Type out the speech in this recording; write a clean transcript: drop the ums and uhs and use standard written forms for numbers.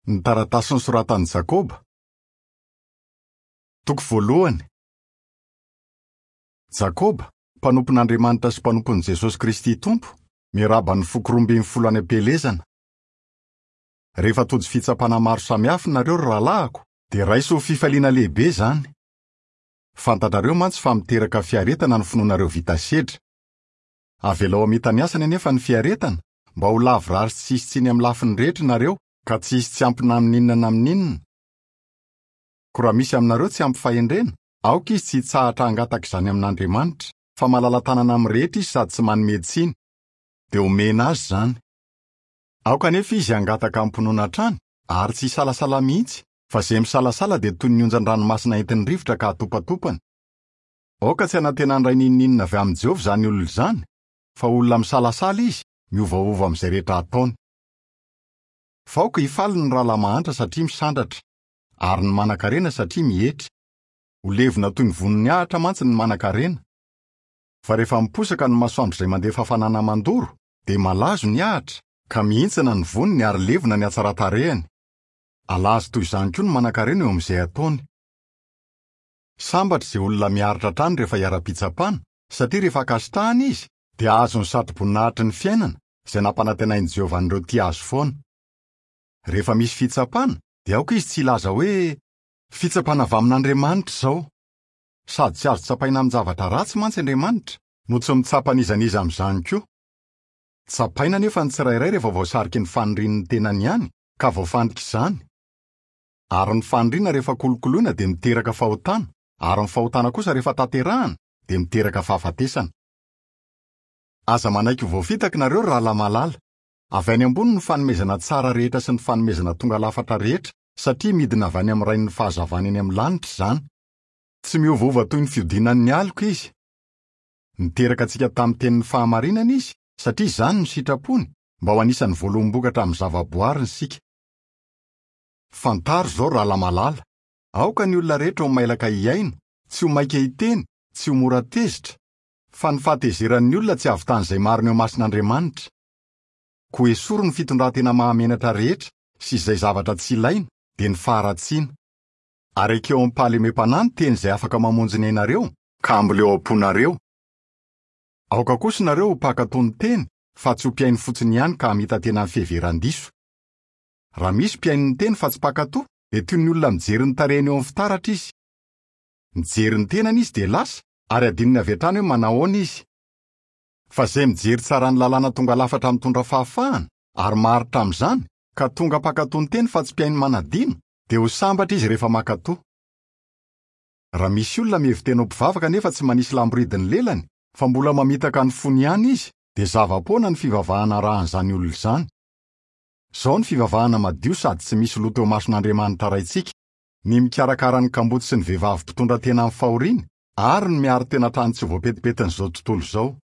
Ny taratasy nosoratan'i Jakoba. Toko voalohany. Jakoba, mpanompon'Andriamanitra sy mpanompon'i Jesosy Kristy Tompo, miarahaba ny foko 12 any am-pielezana. Rehefa tojo fitsapana maro samihafa nareo ry rahalahiko, dia raiso ho fifaliana lehibe izany. Fantatrareo mantsy fa miteraka fiaretana ny finoanareo vita sedra. Avelao hamita ny asany anefa ny fiaretana, mba ho lavorary sy tsy hisy tsiny amin'ny lafiny rehetra nareo, ka tsy hisy tsy ampy na amin'inona na amin'inona. Koa raha misy aminareo tsy ampy fahendrena, aoka izy tsy hitsahatra hangataka izany amin'Andriamanitra, fa malala-tanana amin'ny rehetra izy sady tsy manome tsiny, dia homena azy izany. Aoka anefa izy hangataka amim-pinoana hatrany, ary tsy hisalasala mihitsy, fa izay misalasala dia toy ny onjan-dranomasina entin'ny rivotra ka atopatopany. Aoka tsy hanantena handray n'inon'inona avy amin'i Jehovah izany olona izany, fa olona misalasala izy, miovaova amin'izay rehetra ataony. Fa aoka hifaly ny rahalahy mahantra satria misandratra, ary ny manankarena satria mietry. Ho levona toy ny vonin'ny ahitra mantsy ny manankarena. Fa rehefa miposaka ny masoandro izay mandefa hafanana mandoro, dia malazo ny ahitra, ka mihintsana ny voniny ary levona ny hatsaran-tarehiny. Halazo toy izany koa ny manankarena eo amin'izay ataony. Sambatra izay olona miaritra hatrany rehefa iharam-pitsapana, satria rehefa ankasitrahana izy, dia hahazo ny satroboninahitry ny fiainana, izay nampanantenain'i Jehovah an'ireo tia azy foana. Rehefa misy fitsapana, dia aoka izy tsy hilaza hoe, Fitsapana avy amin'Andriamanitra izao. Sady tsy azo tsapaina amin-javatra ratsy mantsy Andriamanitra, no tsy mitsapa an'iza n'iza amin'izany koa. Tsapaina anefa ny tsirairay rehefa voasariky ny fanirian'ny tenany ihany, ka voafandrika izany. Ary ny faniriana rehefa kolokoloina dia miteraka fahotana, ary ny fahotana kosa rehefa tanterahana dia miteraka fahafatesana. Aza manaiky ho voafitaka nareo ry rahalahy malala. Avy any ambony ny fanomezana tsara rehetra sy ny fanomezana tonga lafatra rehetra, satria midina avy any amin'ny Rain'ny fahazavana eny amin'ny lanitra izany. Tsy miovaova toy ny fiodinan'ny aloka izy. Niteraka antsika tamin'ny tenin'ny fahamarinana izy, satria izany no sitrapony, mba ho anisan'ny voaloham-bokatra amin'ny zavaboariny isika. Fantaro izao, rahalahy malala, aoka ny olona rehetra ho mailaka hihaino, tsy ho maika hiteny, tsy ho mora tezitra, fa ny fahatezeran'ny olona tsy hahavitan'izay marina eo imason'Andriamanitra. Koa esory ny fitondran-tena mahamenatra rehetra sy izay zavatra tsy ilaina, dia ny faharatsiana. Ary ekeo amim-pahalemem-panahy ny teny izay afaka mamonjy ny ainareo, ka amboleo ao am-ponareo. Aoka kosa nareo ho mpankatò ny teny, fa tsy ho mpihaino fotsiny ihany ka hamita-tena amin'ny fiheveran-diso. Raha misy mpihaino ny teny fa tsy mpankatò, dia toy ny olona mijery ny tarehiny eo amin'ny fitaratra izy. Mijery ny tenany izy dia lasa, ary adinony avy hatrany hoe manahoana izy. Fa izay mijery tsara ny lalàna tonga lafatra mitondra fahafahana, ary maharitra amin'izany, ka tonga mpankatò ny teny fa tsy mpihaino manadino, dia ho sambatra izy rehefa mankatò. Raha misy olona mihevi-tena ho mpivavaka nefa tsy manisy lamboridy ny lelany, fa mbola mamitaka ny fony ihany izy, dia zava-poana ny fivavahana arahan'izany olona izany. Izao ny fivavahana madio sady tsy misy loto eo imason'Andriamanitra Raintsika, ny mikarakara ny kamboty sy ny vehivavy mpitondra tena amin'ny fahoriany, ary ny miaro tena hatrany tsy ho voapetipetin'izao tontolo izao.